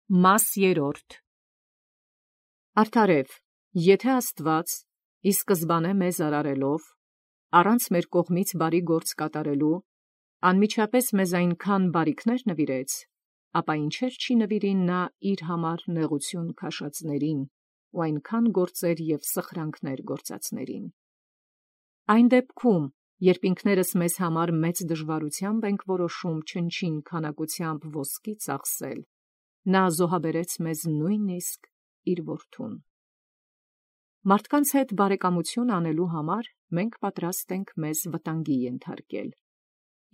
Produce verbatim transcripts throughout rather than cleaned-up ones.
Մաս երրորդ Արդարև, եթե Աստված ի սկզբանե մեզ արարելով, առանց մեր կողմից բարի գործ կատարելու, անմիջապես մեզ այնքան բարիքներ նվիրեց, ապա ինչեր չի նվիրին նա իր համար նեղություն քաշածներին ու այնքան գործեր և սխրանքներ գործածներին։ Այն դեպքում, երբ ինքներս մեզ համար մեծ դժվարությամբ ենք որոշում չնչին քանակությամբ ոսկի ծախսել, նա զոհաբերեց մեզ նույնիսկ իր որդուն։ Մարդկանց հետ բարեկամություն անելու համար մենք պատրաստ ենք մեզ վտանգի ենթարկել,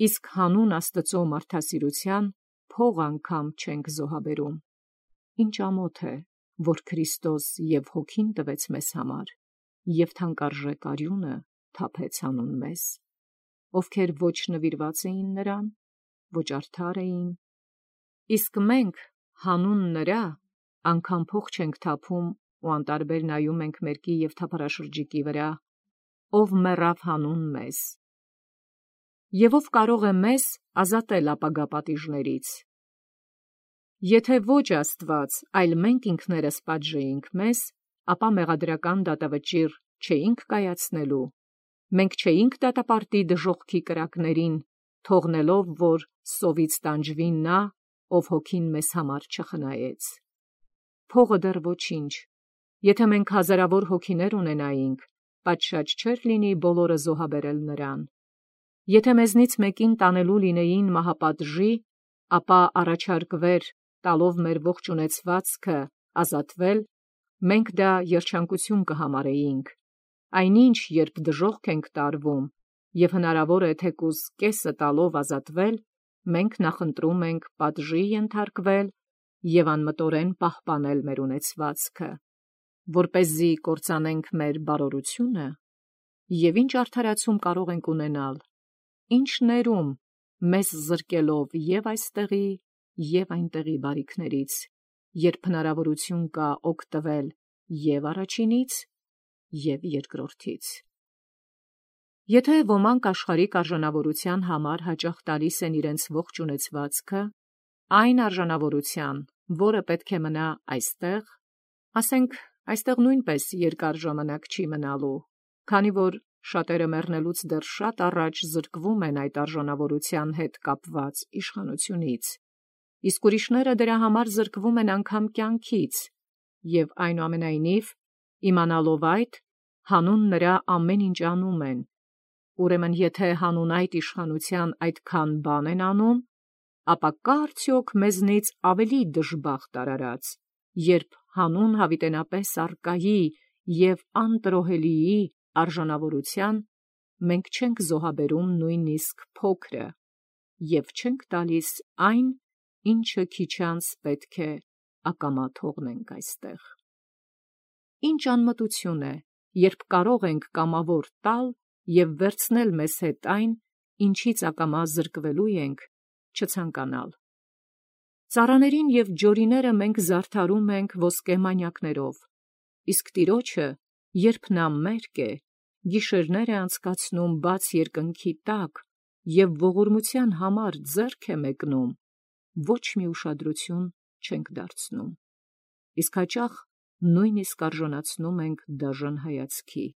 իսկ հանուն Աստծո մարդասիրության փող անգամ չենք զոհաբերում։ Ինչ ամոթ է, որ Քրիստոս և Հոգին տվեց մեզ համար, և թանկարժեք արյունը թափեց հանուն մեզ, ովքեր ոչ նվիրված էին նրան, ոչ արդար էին, իսկ մենք հանուն նրա անգամ փող չենք թափում ու անտարբեր նայում ենք մերկի և թափառաշրջիկի վրա, ով մեռավ հանուն մեզ, և ով կարող է մեզ ազատել ապագա պատիժներից։ Եթե ոչ Աստված, այլ մենք ինքներս պատժեինք մեզ, ապա մեղադրական դատավճիռ չէինք կայացնելու, մենք չէինք դատապարտի դժոխքի կրակներին, թողնելով, որ սովից տանջվի նա, ով Հոգին մեզ համար չխնայեց։ Փողը դեռ ոչինչ, եթե մենք հազարավոր հոգիներ ունենայինք, պատշաճ չէր լինի բոլորը զոհաբերել նրան։ Եթե մեզնից մեկին տանելու լինեին մահապատժի, ապա առաջարկվեր, տալով մեր ողջ ունեցվածքը, ազատվել, մենք դա երջանկություն կհամարեինք, այնինչ երբ դժոխք ենք տարվում, և հնարավոր է թեկուզ կեսը տալով ազատվել, մենք նախընտրում ենք պատժի ենթարկվել և անմտորեն պահպանել մեր ունեցվածքը, որպեսզի կործանենք մեր բարօրությունը, և ինչ արդարացում կարող ենք ունենալ, ինչ ներում մեզ զրկելով և այստեղի, և այնտեղի բարիքներից, երբ հնարավորություն կա օգտվել և առաջինից, և երկրորդից։ Եթե ոմանք աշխարհիկ արժանավորության համար հաճախ տալիս են իրենց ողջ ունեցվածքը, այն արժանավորության, որը պետք է մնա այստեղ, ասենք այստեղ նույնպես երկար ժամանակ չի մնալու, քանի որ շատերը մեռնելուց դեռ շատ առաջ զրկվում են այդ արժանավորության հետ կապված իշխանությունից, իսկ ուրիշները դրա համար զրկվում են անգամ կյանքից, և այնուամենայնիվ, իմանալով այդ, հանուն նրա ամեն ինչ անում են։ Ուրեմն եթե հանուն այդ իշխանության այդքան բան են անում, ապա կա՞ արդյոք մեզնից ավելի դժբախտ արարած, երբ հանուն հավիտենապես առկայի և անտրոհելիի արժանավորության մենք չենք զոհաբերում նույնիսկ փոքրը և չենք տալիս այն, ինչը քիչանց պետք է ակամա թողնենք այստեղ։ Ինչ անմտություն է, երբ կարող ենք կամավոր տալ և վերցնել մեզ հետ այն, ինչից ակամա զրկվելու ենք, չցանկանալ։ Ծառաներին և ջորիները մենք զարդարում ենք ոսկե մանյակներով, իսկ Տիրոջը, երբ նա մերկ է, գիշերներ է անցկացնում բաց երկնքի տակ և ողորմության համար ձեռք է մեկնում, ոչ մի ուշադրություն չենք դարձնում, իսկ հաճախ նույնիսկ արժանացնում ենք դաժան հայացքի։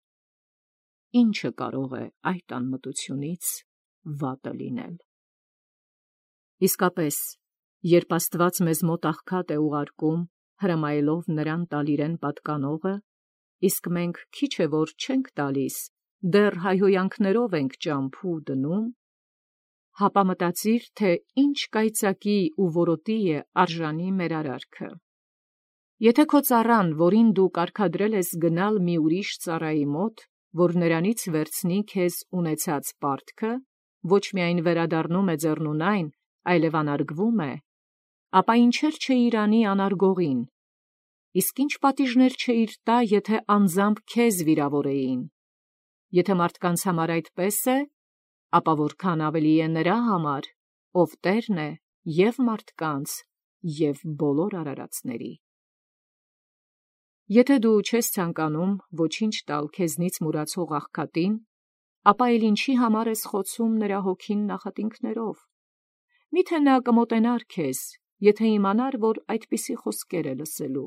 Ի՞նչը կարող է այդ անմտությունից վատը լինել։ Իսկապես, երբ Աստված մեզ մոտ աղքատ է ուղարկում, հրամայելով նրան տալ իրեն պատկանողը, իսկ մենք քիչ է որ չենք տալիս, դեռ հայհոյանքներով ենք ճամփու դնում, հապա մտածիր, թե ինչ կայծակի ու որոտի է արժանի մեր արարքը։ Եթե քո ծառան, որին դու կարգադրել ես գնալ մի ուրիշ ծառայի մոտ, որ նրանից վերցնի քեզ ունեցած պարտքը, ոչ միայն վերադառնում է ձեռնունայն, այլև անարգվում է, ապա ինչեր չէիր անի անարգողին, իսկ ինչ պատիժներ չէիր տա, եթե անձամբ քեզ վիրավորեին։ Եթե մարդկանց համար այդպես է, ապա որքան ավելի է նրա համար, ով Տերն է և մարդկանց, և բոլոր արարածների։ Եթե դու չես ցանկանում ոչինչ տալ քեզնից մուրացող աղքատին, ապա էլ ինչի համար ես խոցում նրա հոգին նախատինքներով։ Միթե նա կմոտենար քեզ եթե իմանար, որ այդպիսի խոսքեր է լսելու։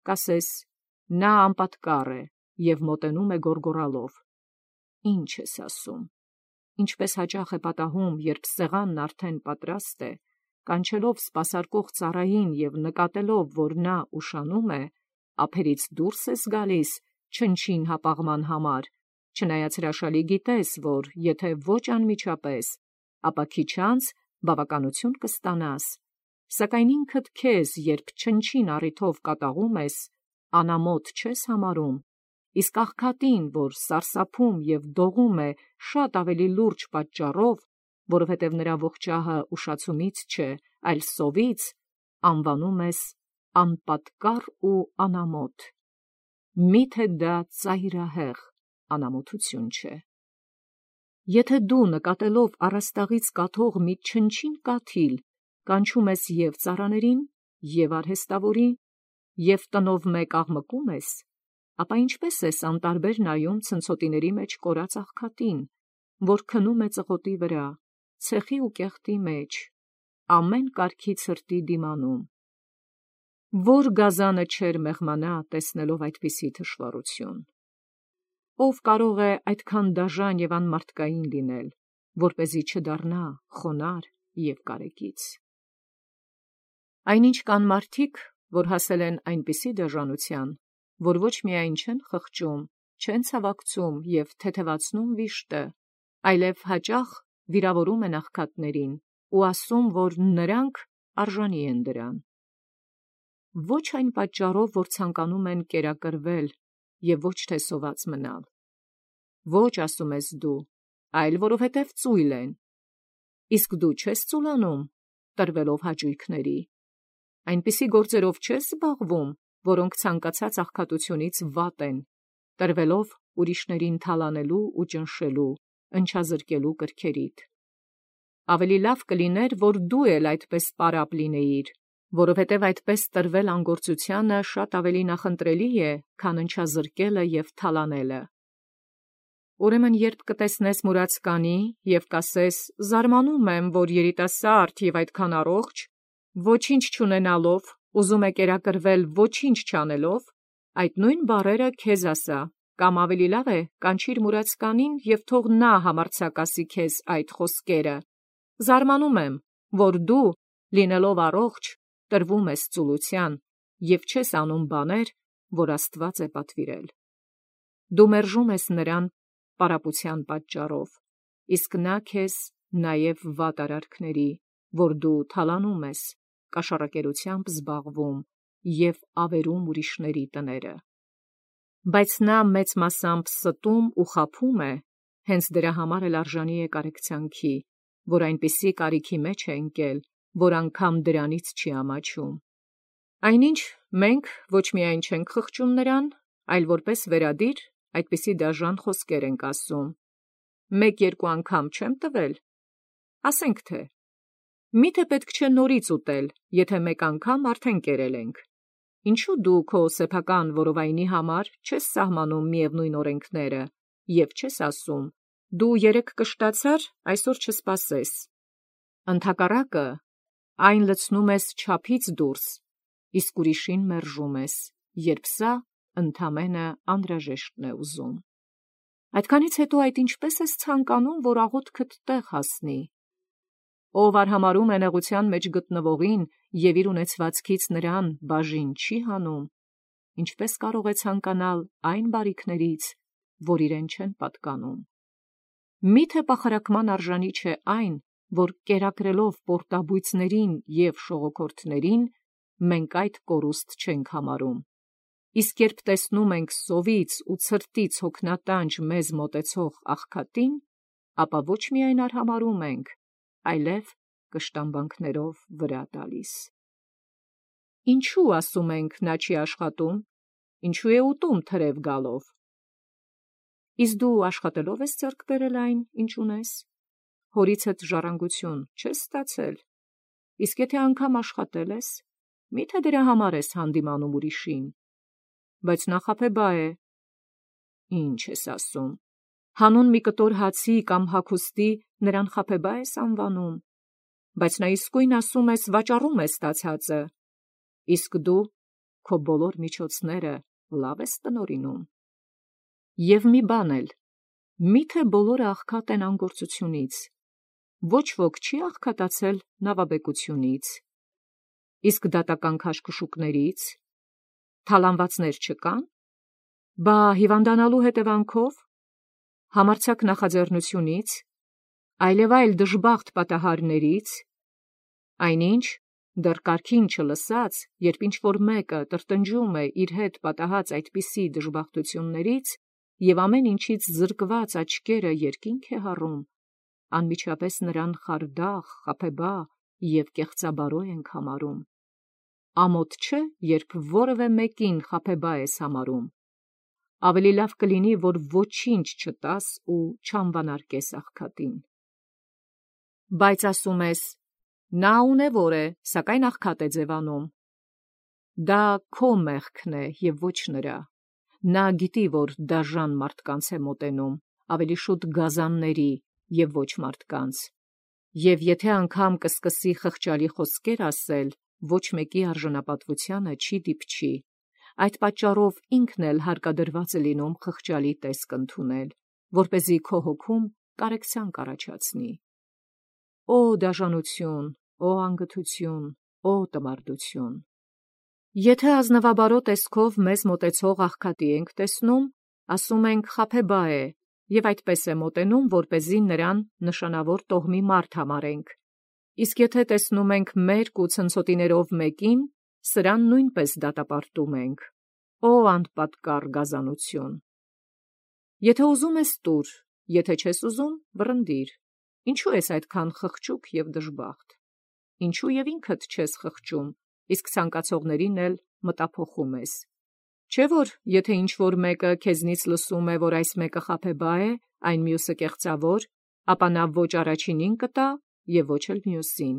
Կասես, նա անպատկառ է և մոտենում է գոռգոռալով։ Ինչ ես ասում։ Ինչպես հաճախ է պատահում, երբ սեղանն արդեն պատրաստ է, կանչելով սպասարկող ծառային և նկատելով, որ նա ուշանում է, ափերից դուրս ես գալիս չնչին հապաղման համար, չնայած հրաշալի գիտես, որ եթե ոչ անմիջապես, ապա քիչ անց բավականություն կստանաս, սակայն ինքդ քեզ, երբ չնչին առիթով կատաղում ես, անամոթ չես համարում, իսկ աղքատին, որ սարսափում և դողում է շատ ավելի լուրջ պատճառով, որովհետև նրա ողջահը ուշացումից չէ, այլ սովից, անվանում ես անպատկառ ու անամոթ։ Մի՞թե դա ծայրահեղ անամոթություն չէ։ Եթե դու նկատելով առաստաղից կաթող մի չնչին կաթիլ, կանչում ես և ծառաներին, և արհեստավորին, և տնով մեկ աղմկում ես, ապա ինչպես ես անտարբեր նայում ցնցոտիների մեջ կորած աղքատին, որ քնում է ծղոտի վրա, ցեխի ու կեղտի մեջ, ամեն կարգի ցրտի դիմանում։ Որ գազանը չէր մեղմանա, տեսնելով այդպիսի թշվառություն։ Ով կարող է այդքան դաժան և անմարդկային լինել, որպեսզի չդառնա խոնարհ և կարեկից։ Այնինչ կան մարդիկ, որ հասել են այնպիսի դաժանության, որ ոչ միայն չեն խղճում, չեն ցավակցում և թեթևացնում վիշտը, այլև հաճախ վիրավորում են աղքատներին ու ասում, որ նրանք արժանի են դրան։ Ոչ այն պատճառով, որ ցանկանում են կերակրվել և ոչ թե սոված մնալ։ Ոչ, ասում ես դու, այլ որովհետև ծույլ են։ Իսկ դու չես ծուլանում, տրվելով հաճույքների։ Այնպիսի գործերով չես զբաղվում, որոնք ցանկացած աղքատությունից վատ են, տրվելով ուրիշներին թալանելու ու ճնշելու, ընչազրկելու կրքերիդ։ Ավելի լավ կլիներ, որ դու էլ այդպես պարապ լինեիր, որովհետև այդպես տրվել անգործությանը շատ ավելի նախընտրելի է, քան ընչազրկելը և թալանելը։ Ուրեմն երբ կտեսնես մուրացկանի և կասես. «Զարմանում եմ, որ երիտասարդ և այդքան առողջ, ոչինչ չունենալով, ուզում է կերակրվել ոչինչ չանելով», այդ նույն բառերը քեզ ասա, կամ ավելի լավ է կանչիր մուրացկանին և թող նա համարձակ ասի քեզ այդ խոսքերը. «Զարմանում եմ, որ դու, լինելով առողջ, տրվում ես ծուլության և չես անում բաներ, որ Աստված է պատվիրել»։ Դու մերժում ես նրան պարապության պատճառով, իսկ նա քեզ նաև վատ արարքների, որ դու թալանում ես, կաշառակերությամբ զբաղվում և ավերում ուրիշների տները։ Բայց նա մեծ մասամբ ստում ու խաբում է, հենց դրա համար էլ արժանի է կարեկցանքի, որ այնպիսի կարիքի մեջ է ընկել, որ անգամ դրանից չի ամաչում։ Այնինչ մենք ոչ միայն չենք խղճում նրան, այլ որպես վերադիր այդպիսի դաժան խոսքեր ենք ասում. «Մեկ-երկու անգամ չեմ տվել»։ Ասենք թե. «Միթե պետք չէ նորից ուտել, եթե մեկ անգամ արդեն կերել ենք»։ Ինչու դու քո սեփական որովայնի համար չես սահմանում միևնույն օրենքները և չես ասում. «Դու երեկ կշտացար, այսօր չսպասես»։ Ընդհակառակը, այն լցնում ես չափից դուրս, իսկ ուրիշին մերժում ես, երբ սա ընդամենը անհրաժեշտն է ուզում։ Այդքանից հետո այդ ինչպե՞ս ես ցանկանում, որ աղոթքդ տեղ հասնի։ Ով արհամարհում է նեղության մեջ գտնվողին և իր ունեցվածքից նրան բաժին չի հանում, ինչպե՞ս կարող է ցանկանալ այն բարիքներից, որ իրեն չեն պատկանում։ Մի՞թե պախարակման արժանի չէ այն, որ կերակրելով պորտաբույծներին և շողոքորթներին, մենք այդ կորուստ չենք համարում, իսկ երբ տեսնում ենք սովից ու ցրտից հոգնատանջ մեզ մոտեցող աղքատին, ապա ոչ միայն արհամարհում ենք, այլև կշտամբանքներով վրա տալիս։ Ինչու ասում ենք նա չի աշխատում, ինչու է ուտում թրև գալով։ Իսկ դու աշխատելով ես ձեռք բերել այն, ինչ ունես, հորիցդ ժառանգություն չես ստացել, իսկ եթե անգամ աշխատել ես, մի՞թե դրա համար ես հանդիմանում ուրիշին։ Բայց նա խաբեբա է։ Ինչ ես ասում, հանուն մի կտոր հացի կամ հագուստի նրան խաբեբա ես անվանում։ բայց նա իսկույն ասում ես վաճառում է ստացածը, իսկ դու քո բոլոր միջոցները լավ ես տնօրինում։ Եվ մի բան էլ, միթե բոլորը աղքատ են անգործությունից, ոչ ոք չի աղքատացել նավաբեկությունից, իսկ դատական քաշքշուկներից, թալանվածներ չկան, բա հիվանդանալու հետևանքով, համարձակ նախաձեռնությունից, այլև այլ դժբախտ պատահարներից, այնինչ դեռ կարգին չլսած, երբ ինչ-որ մեկը տրտնջում է իր հետ պատահած այդպիսի դժբախտություններից և ամեն ինչից զրկված աչքերը երկինք է հառում, անմիջապես նրան խարդախ, խաբեբա և կեղծաբարո ենք համարում։ Ամոթ չէ, երբ որևէ մեկին խաբեբա ես համարում, ավելի լավ կլինի, որ ոչինչ չտաս ու չանվանարկես աղքատին։ Բայց ասում ես, նա ունևոր է, սակայն աղքատ է ձևանում։ Դա քո մեղքն է և ոչ նրա։ Նա գիտի, որ դաժան մարդկանց է մոտենում, ավելի շուտ գազանների և ոչ մարդկանց, և եթե անգամ կսկսի խղճալի խոսքեր ասել, ոչ մեկի արժանապատվությանը չի դիպչի, այդ պատճառով ինքն էլ հարկադրված է լինում խղճալի տեսք ընդունել, որպեսզի քո հոգում կարեկցանք առաջացնի։ Օ դաժանություն, օ անգթություն, օ տմարդություն։ Եթե ազնվաբարո տեսքով մեզ մոտեցող աղքատի ենք տեսնում, ասում ենք խաբեբա է, և այդպես է մոտենում, որպեսզի նրան նշանավոր տոհմի մարդ համարենք, իսկ եթե տեսնում ենք մերկ ու ցնցոտիներով մեկին, սրան նույնպես դատապարտում ենք։ Օ անպատկառ գազանություն։ Եթե ուզում ես տուր, եթե չես ուզում վռնդիր, ինչու ես այդքան խղճուկ և դժբախտ, ինչու և ինքդ չես խղճում, իսկ ցանկացողներին էլ մտափոխում ես։ Չէ՞ որ եթե ինչ-որ մեկը քեզնից լսում է, որ այս մեկը խաբեբա է, այն մյուսը կեղծավոր, ապա նա ոչ առաջինին կտա և ոչ էլ մյուսին։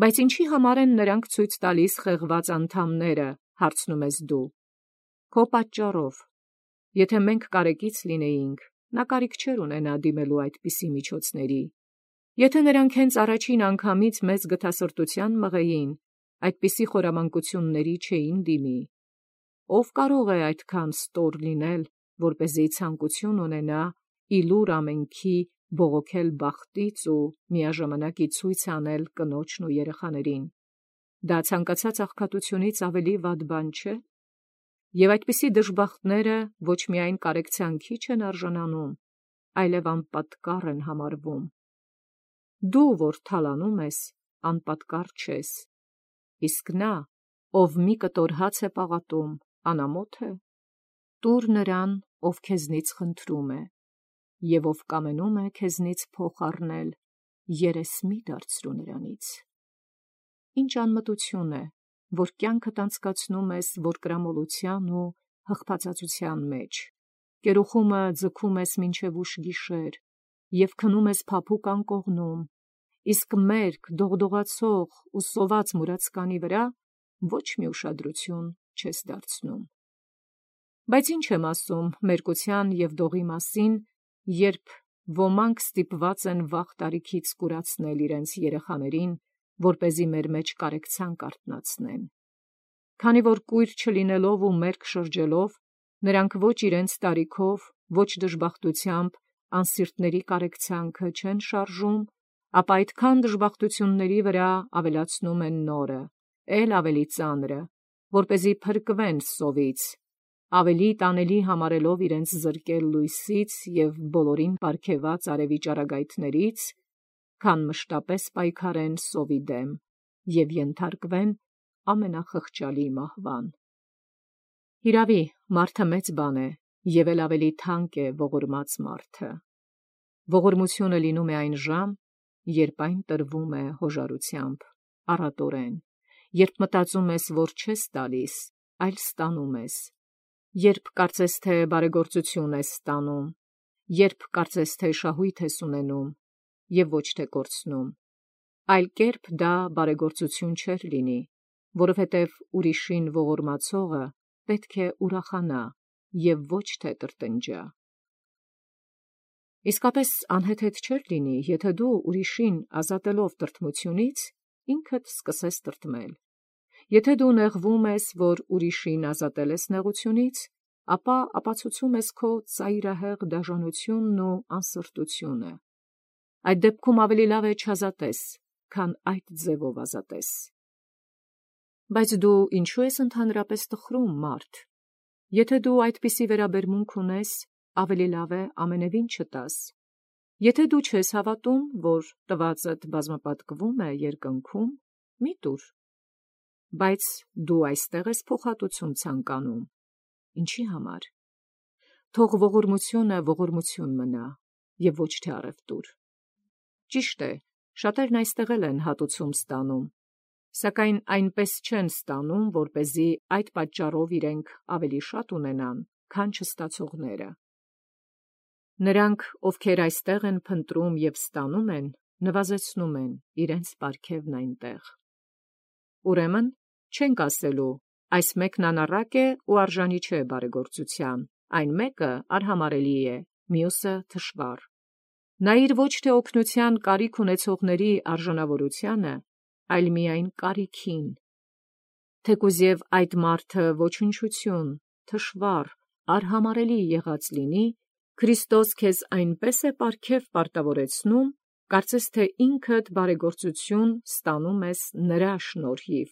Բայց ինչի համար են նրանք ցույց տալիս խեղված անդամները, հարցնում ես դու։ Քո պատճառով։ Եթե մենք կարեկից լինեինք, նա կարիք չէր ունենա դիմելու այդպիսի միջոցների։ Եթե նրանք հենց առաջին անգամից մեզ գթասրտության մղեին, այդպիսի խորամանկությունների չէին դիմի։ Ով կարող է այդքան ստոր լինել, որպեսզի ցանկություն ունենա ի լուր ամենքի բողոքել բախտից ու միաժամանակ ի ցույց անել կնոջն ու երեխաներին։ Դա ցանկացած աղքատությունից ավելի վատ բան չէ։ Եվ այդպիսի դժբախտները ոչ միայն կարեկցանքի չեն արժանանում, այլև անպատկառ են համարվում։ Դու, որ թալանում ես, անպատկառ չես, իսկ նա, ով մի կտոր հաց է պաղատում, անամոթ է։ Տուր նրան, ով քեզնից խնդրում է, և ով կամենում է քեզնից փոխ առնել, երես մի դարձրու նրանից։ Ինչ անմտություն է, որ կյանքդ անցկացնում ես որկրամոլության ու հղբածածության մեջ, կերուխումը ձգում ես մինչև ուշ գիշեր և քնում ես փափուկ անկողնում, իսկ մերկ, դողդողացող ու սոված մուրացկանի վրա ոչ մի ուշադրություն չես դարձնում։ Բայց ինչ եմ ասում մերկության և դողի մասին, երբ ոմանք ստիպված են վաղ տարիքից կուրացնել իրենց երեխաներին, որպեսզի մեր մեջ կարեկցանք արթնացնեն։ Քանի որ կույր չլինելով ու մերկ շրջելով, նրանք ոչ իրենց տարիքով, ոչ դժբախտությամբ անսիրտների կարեկցանքը չեն շարժում, ապա այդքան դժբախտությունների վրա ավելացնում են նորը, էլ ավելի ծանրը, որպեսզի փրկվեն սովից, ավելի տանելի համարելով իրենց զրկել լույսից և բոլորին պարգևած արևի ճառագայթներից, քան մշտապես պայքարեն սովի դեմ և ենթարկվեն ամենախղճալի մահվան։ Հիրավի, մարդը մեծ բան է և էլ ավելի թանկ է ողորմած մարդը։ Ողորմությունը լինում է այն ժամ, երբ այն տրվում է հոժարությամբ, առատորեն, երբ մտածում ես, որ չես տալիս, այլ ստանում ես, երբ կարծես թե բարեգործություն ես ստանում, երբ կարծես թե շահույթ ես ունենում և ոչ թե կորցնում, այլ կերպ դա բարեգործություն չէր լինի, որովհետև ուրիշին ողորմացողը պետք է ուրախանա և ոչ թե տրտնջա։ Իսկապես անհեթեթ չէր լինի, եթե դու ուրիշին ազատելով տրտմությունից, ինքդ սկսես տրտմել։ Եթե դու նեղվում ես, որ ուրիշին ազատել ես նեղությունից, ապա ապացուցում ես քո ծայրահեղ դաժանությունն ու անսրտությունը։ Այդ դեպքում ավելի լավ է չազատես, քան այդ ձևով ազատես։ Բայց դու ինչու ես ընդհանրապես տխրում, մարդ։ Եթե դու այդպիսի վերաբերմունք ունես, ավելի լավ է ամենևին չտաս։ Եթե դու չես հավատում, որ տվածդ բազմապատկվում է երկնքում, մի տուր։ Բայց դու այստեղ ես փոխհատուցում ցանկանում։ Ինչի համար։ Թող ողորմությունը ողորմություն մնա, և ոչ թե առևտուր։ Ճիշտ է, շատերն այստեղ էլ են հատուցում ստանում, սակայն այնպես չեն ստանում, որպեսզի այդ պատճառով իրենք ավելի շատ ունենան, քան չստացողները։ Նրանք, ովքեր այստեղ են փնտրում և ստանում են, նվազեցնում են իրենց պարգևն այնտեղ։ Ուրեմն, չենք ասելու, այս մեկն անառակ է ու արժանի չէ բարեգործության, այն մեկը արհամարելի է, մյուսը թշվառ։ Նայիր ոչ թե օգնության կարիք ունեցողների արժանավորությանը, այլ միայն կարիքին։ Թեկուզ և այդ մարդը ոչնչություն, թշվառ, արհամարելի եղած լինի, Քրիստոս քեզ այնպես է պարգև պարտավորեցնում, կարծես թե ինքդ բարեգործություն ստանում ես նրա շնորհիվ։